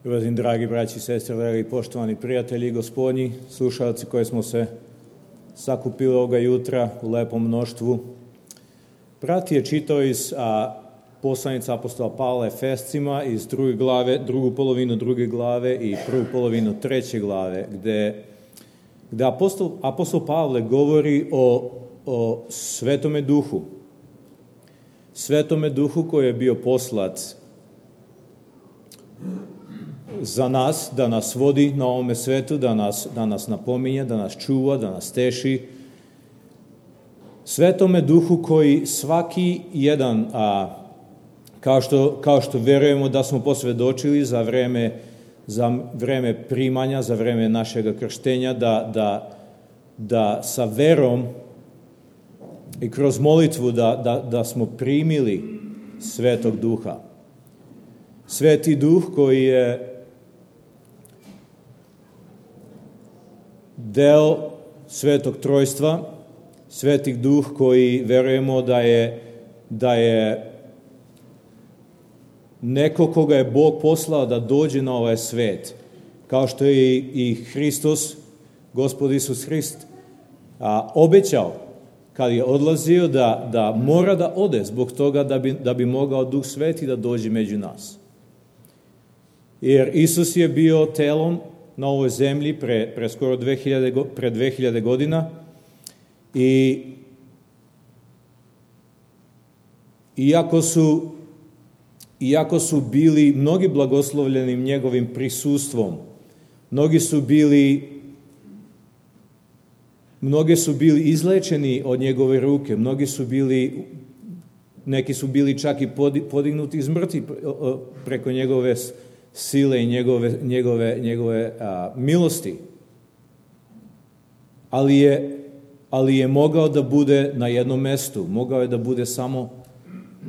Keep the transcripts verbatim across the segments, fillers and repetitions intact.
Uvaženi dragi braći i sestre, dragi poštovani prijatelji gospodnji, slušalci koji smo se sakupili ovoga jutra u lepom mnoštvu. Brat je čitao iz a, poslanice apostola Pavla Efescima iz druge glave, drugu polovinu druge glave i prvu polovinu treće glave, gde, gde apostol, apostol Pavle govori o, o Svetome Duhu. Svetome Duhu koji je bio poslat za nas, da nas vodi na ovome svetu, da nas, da nas napominje, da nas čuva, da nas teši. Svetome Duhu koji svaki jedan, a, kao, što, kao što verujemo da smo posvedočili za vreme, za vreme primanja, za vreme našeg krštenja, da, da, da sa verom i kroz molitvu da, da, da smo primili Svetog Duha. Sveti Duh koji je deo Svetog Trojstva, Sveti Duh koji verujemo da je, da je neko koga je Bog poslao da dođe na ovaj svet, kao što je i Hristos, Gospod Isus Hrist, a, obećao kad je odlazio da, da mora da ode zbog toga da bi, da bi mogao Duh Sveti da dođe među nas. Jer Isus je bio telom na ovoj zemlji pre, pre skoro dve hiljade, pre dve hiljade godina i iako su, iako su bili mnogi blagoslovljeni njegovim prisustvom, mnogi su bili mnogi su bili izlečeni od njegove ruke, mnogi su bili, neki su bili čak i podignuti iz mrtvi preko njegove sile i njegove, njegove, njegove a, milosti. Ali je, ali je mogao da bude na jednom mestu. Mogao je da bude samo,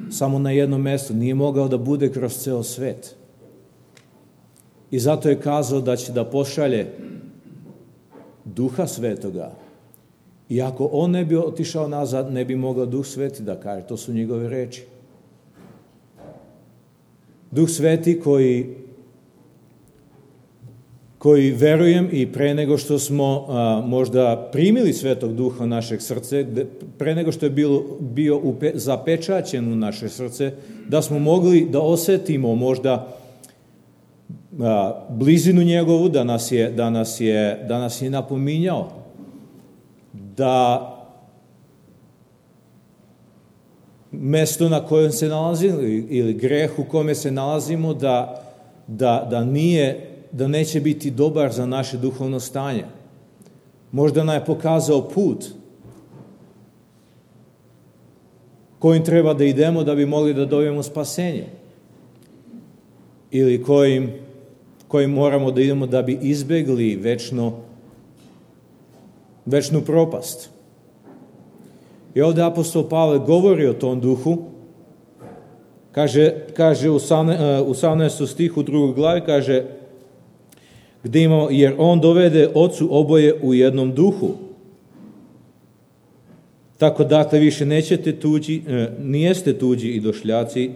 samo na jednom mestu. Nije mogao da bude kroz ceo svet. I zato je kazao da će da pošalje Duha Svetoga. I ako on ne bi otišao nazad, ne bi mogao Duh Sveti da kaže. To su njegove reči. Duh Sveti koji koji verujem i pre nego što smo a, možda primili Svetog Duha u našeg srce, pre nego što je bilo, bio upe, zapečaćen u naše srce, da smo mogli da osetimo možda a, blizinu njegovu, da nas je, da nas je, da nas je napominjao, da mesto na kojem se nalazimo ili greh u kome se nalazimo, da, da, da nije da neće biti dobar za naše duhovno stanje. Možda nam je pokazao put kojim treba da idemo da bi mogli da dobijemo spasenje. Ili kojim, kojim moramo da idemo da bi izbegli večno, večnu propast. I ovdje apostol Pavle govori o tom duhu. Kaže, kaže u osamnaestom stihu drugoj glavi, kaže gdje imamo, jer on dovede ocu oboje u jednom duhu. Tako dakle više nećete tuđi, e, nijeste tuđi i došljaci,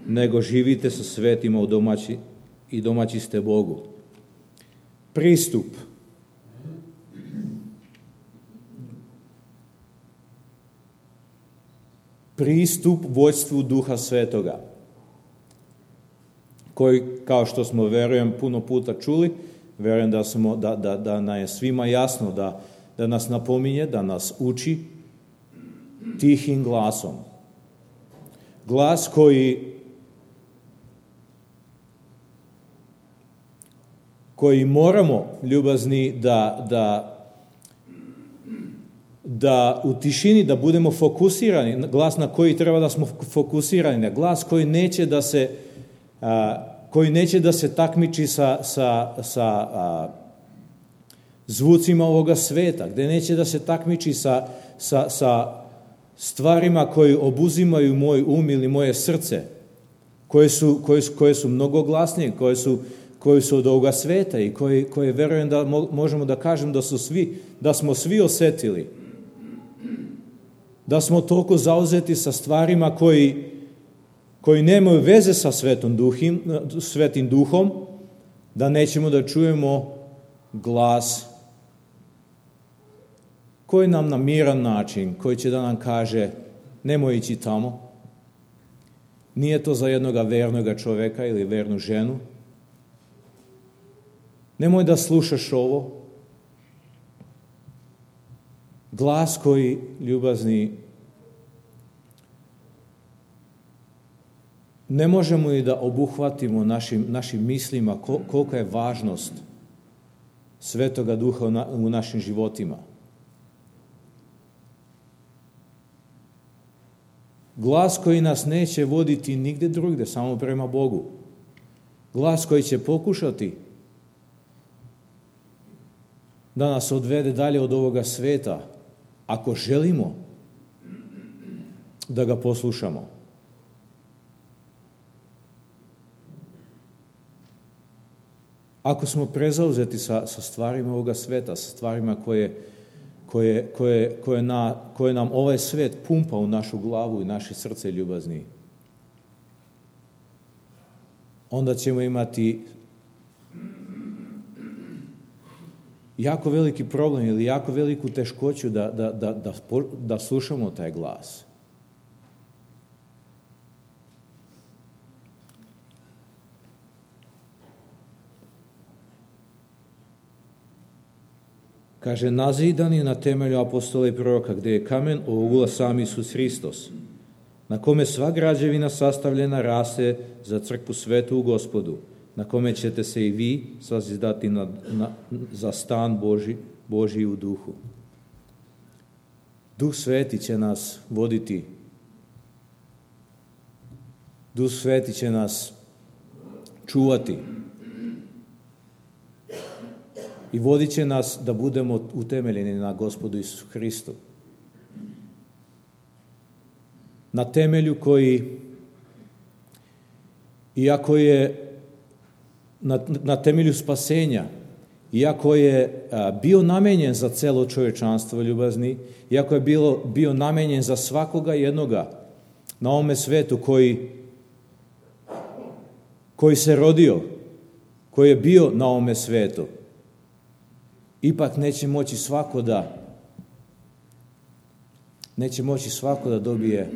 nego živite sa svetima u domaći i domaći ste Bogu. Pristup. Pristup vođstvu Duha Svetoga, koji, kao što smo, verujem, puno puta čuli, verujem da, smo, da, da, da nam je svima jasno, da, da nas napominje, da nas uči tihim glasom. Glas koji, koji moramo, ljubazni, da, da, da u tišini da budemo fokusirani, glas na koji treba da smo fokusirani, glas koji neće da se a, koji neće da se takmiči sa, sa, sa a, zvucima ovoga sveta, gde neće da se takmiči sa, sa, sa stvarima koji obuzimaju moj um ili moje srce, koje su, koje su, koje su mnogo glasnije, koje su, koje su od ovoga sveta i koje, koje verujem da mo, možemo da kažem da, su svi, da smo svi osetili, da smo toliko zauzeti sa stvarima koji koji nemaju veze sa svetom duhim, svetim duhom, Da nećemo da čujemo glas koji nam na miran način, koji će da nam kaže nemoj ići tamo. Nije to za jednoga vernoga čoveka ili vernu ženu. Nemoj da slušaš ovo. Glas koji, ljubazni, ne možemo i da obuhvatimo našim, našim mislima kolika je važnost Svetoga Duha u našim životima. Glas koji nas neće voditi nigde drugde, samo prema Bogu. Glas koji će pokušati da nas odvede dalje od ovoga sveta, ako želimo da ga poslušamo. Ako smo prezauzeti sa, sa stvarima ovoga sveta, sa stvarima koje, koje, koje, koje, na, koje nam ovaj svet pumpa u našu glavu i naše srce ljubazni, onda ćemo imati jako veliki problem ili jako veliku teškoću da, da, da, da, da slušamo taj glas. Kaže, nazidan je na temelju apostola i proroka, gde je kamen ogula sam Isus Hristos, na kome sva građevina sastavljena raste za crkvu svetu u Gospodu, na kome ćete se i vi sazizdati na, na, za stan Boži, Božji u duhu. Duh Sveti će nas voditi. Duh Sveti će nas čuvati. I vodit će nas da budemo utemeljeni na Gospodu Isusu Hristu. Na temelju koji, iako je na, na temelju spasenja, iako je a, bio namenjen za celo čovječanstvo ljubazni, iako je bilo, bio namenjen za svakoga jednoga na ovome svetu koji, koji se rodio, koji je bio na ovome svetu, ipak neće moći svako da neće moći svako da dobije,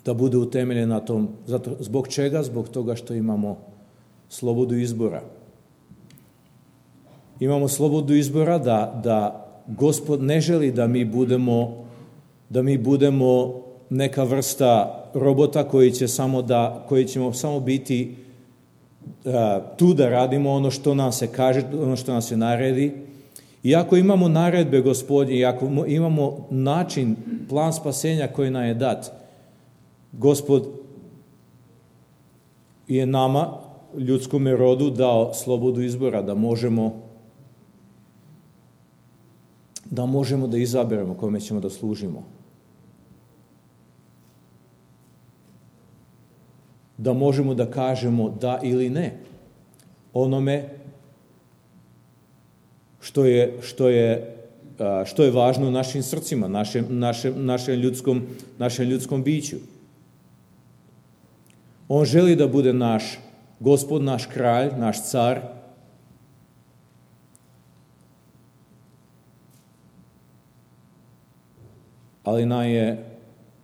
da bude utemeljen na tom. Zato, zbog čega? Zbog toga što imamo slobodu izbora. Imamo slobodu izbora da, da Gospod ne želi da mi budemo da mi budemo neka vrsta robota koji će samo da koji ćemo samo biti tu da radimo ono što nam se kaže, ono što nam se naredi. Iako imamo naredbe Gospodnje, iako imamo način, plan spasenja koji nam je dat, Gospod je nama, ljudskom rodu, dao slobodu izbora da možemo da možemo da izaberemo kome ćemo da služimo. Da možemo da kažemo da ili ne onome što je, što je, što je važno u našim srcima, našem, našem, našem, ljudskom, našem ljudskom biću. On želi da bude naš Gospod, naš kralj, naš car. Ali nam je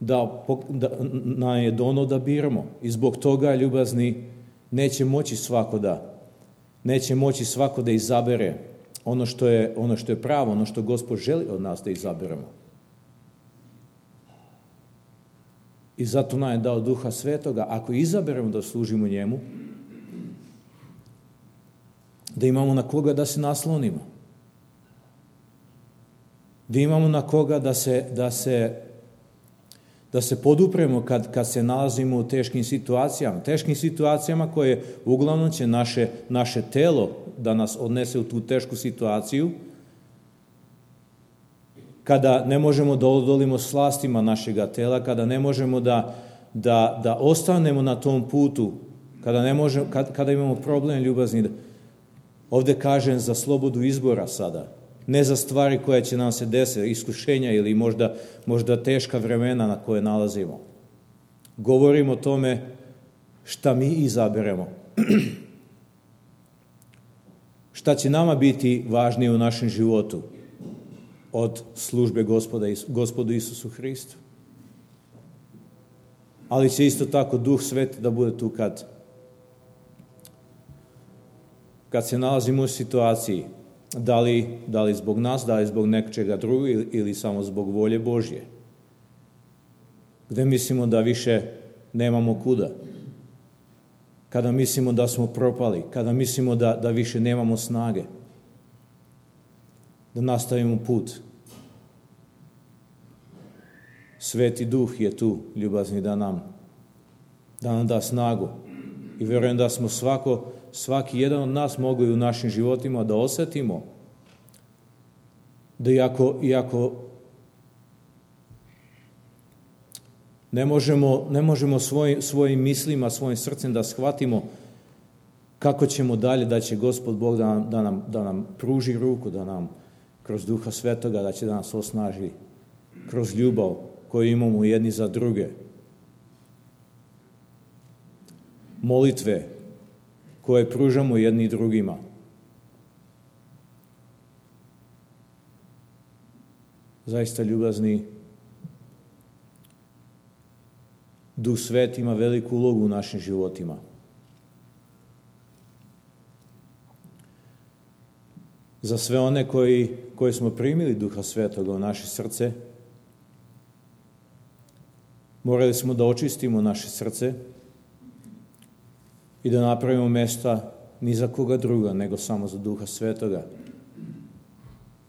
da, da, nam je dono da biramo. I zbog toga, ljubazni, neće moći svako da, neće moći svako da izabere ono što je, ono što je pravo, ono što Gospod želi od nas da izaberemo. I zato nam je dao Duha Svetoga. Ako izaberemo da služimo njemu, da imamo na koga da se naslonimo. Da imamo na koga da se, da se, da se podupremo kad, kad se nalazimo u teškim situacijama. Teškim situacijama koje uglavnom će naše, naše telo da nas odnese u tu tešku situaciju, kada ne možemo da odolimo slastima našega tela, kada ne možemo da, da, da ostanemo na tom putu, kada, ne možemo, kad, kada imamo problem ljubazni. Ovde kažem za slobodu izbora sada, ne za stvari koje će nam se desiti, iskušenja ili možda, možda teška vremena na koje nalazimo. Govorim o tome šta mi izaberemo. šta će nama biti važnije u našem životu od službe Gospoda, Gospodu Isusu Hristu. Ali će isto tako Duh Sveti da bude tu kad, kad se nalazimo u situaciji, da li, da li zbog nas, da li zbog nečega drugog ili, ili samo zbog volje Božje. Gde mislimo da više nemamo kuda. Kada mislimo da smo propali, kada mislimo da, da više nemamo snage. Da nastavimo put. Sveti Duh je tu, ljubazni, da nam, da nam da snagu. I vjerujem da smo svako, svaki jedan od nas mogli u našim životima da osjetimo da iako, iako ne možemo, ne možemo svoj, svojim mislima, svojim srcem da shvatimo kako ćemo dalje, da će Gospod Bog da nam, da nam, da nam pruži ruku, da nam kroz Duha Svetoga, da će da nas osnaži kroz ljubav koju imamo jedni za druge. Molitve koje pružamo jedni drugima. Zaista, ljubazni, Duh Sveti ima veliku ulogu u našim životima. Za sve one koji, koji smo primili Duha Svetoga u naše srce, morali smo da očistimo naše srce i da napravimo mesta ni za koga druga, nego samo za Duha Svetoga,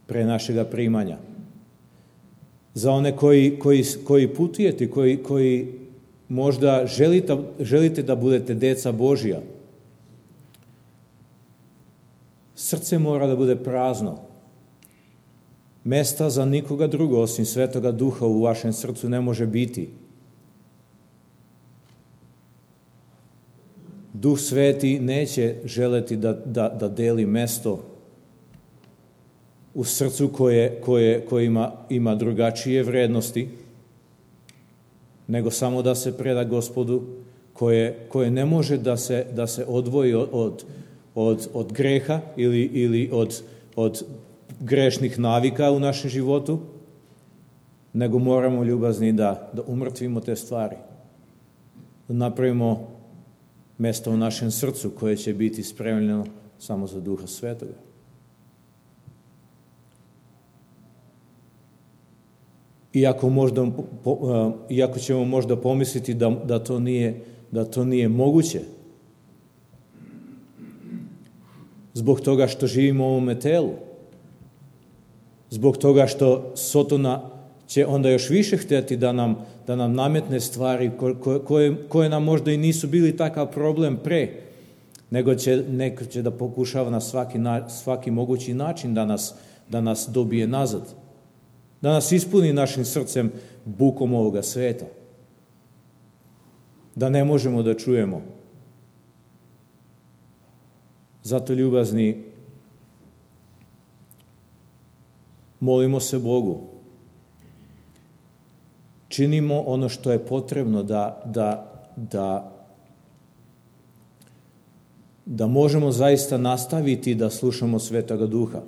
pre našega primanja. Za one koji, koji, koji putujete, koji, koji možda želite, želite da budete deca Božja, srce mora da bude prazno. Mesta za nikoga drugo osim Svetoga Duha u vašem srcu ne može biti. Duh Sveti neće želeti da, da, da deli mesto u srcu koje, koje, koje ima, ima drugačije vrednosti, nego samo da se preda Gospodu, koje, koje ne može da se, da se odvoji od, od, od greha ili, ili od, od grešnih navika u našem životu, nego moramo, ljubazni, da, da umrtvimo te stvari, da napravimo mesto u našem srcu koje će biti spremljeno samo za Duha Svetoga. Iako, možda, iako ćemo možda pomisliti da, da, to nije, da to nije moguće, zbog toga što živimo u ovome telu, zbog toga što Sotona će onda još više htjeti da nam, da nam nametne stvari koje, koje, koje nam možda i nisu bili takav problem pre, nego će, neko će da pokušava na svaki, na svaki mogući način da nas, da nas dobije nazad, da nas ispuni našim srcem bukom ovoga sveta, da ne možemo da čujemo. Zato, ljubazni, molimo se Bogu, činimo ono što je potrebno da, da, da, da možemo zaista nastaviti da slušamo Svetoga Duha.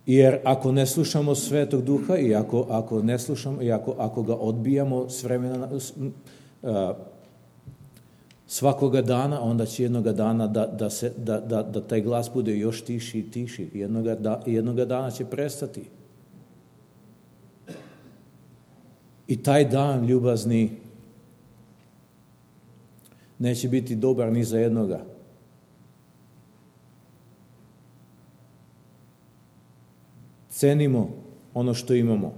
Jer ako ne slušamo Svetog Duha i ako, ako ne slušamo i ako, ako ga odbijamo s vremena, uh, svakoga dana, onda će jednoga dana da, da, se, da, da, da taj glas bude još tiši i tiši. Jednoga, da, jednoga dana će prestati. I taj dan, ljubazni, neće biti dobar ni za jednoga. Cenimo ono što imamo.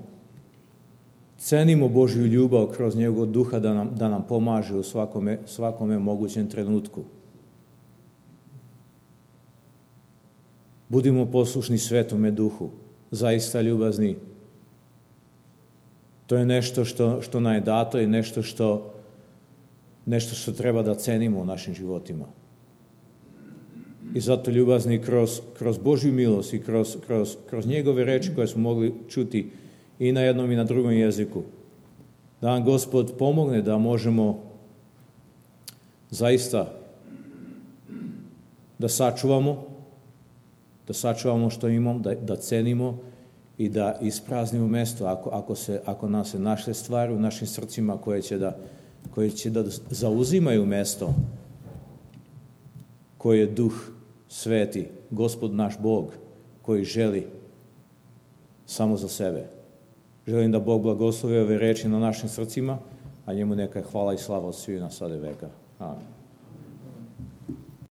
Cenimo Božju ljubav kroz njegov Duha da nam, da nam pomaže u svakome, svakome mogućem trenutku. Budimo poslušni Svetome Duhu. Zaista, ljubazni, to je nešto što, što nam je dato i nešto što, nešto što treba da cenimo u našim životima. I zato, ljubazni, kroz, kroz Božju milost i kroz, kroz, kroz njegove reči koje smo mogli čuti i na jednom i na drugom jeziku, da nam Gospod pomogne da možemo zaista da sačuvamo, da sačuvamo što imamo, da, da cenimo i da ispraznimo mesto ako, ako, se, ako nam se naše stvari u našim srcima koje će da, koje će da zauzimaju mesto koje je Duh Sveti, Gospod naš Bog, koji želi samo za sebe. Želim da Bog blagoslovi ove reči na našim srcima, a njemu neka hvala i slava od svih na sada veka. Amen.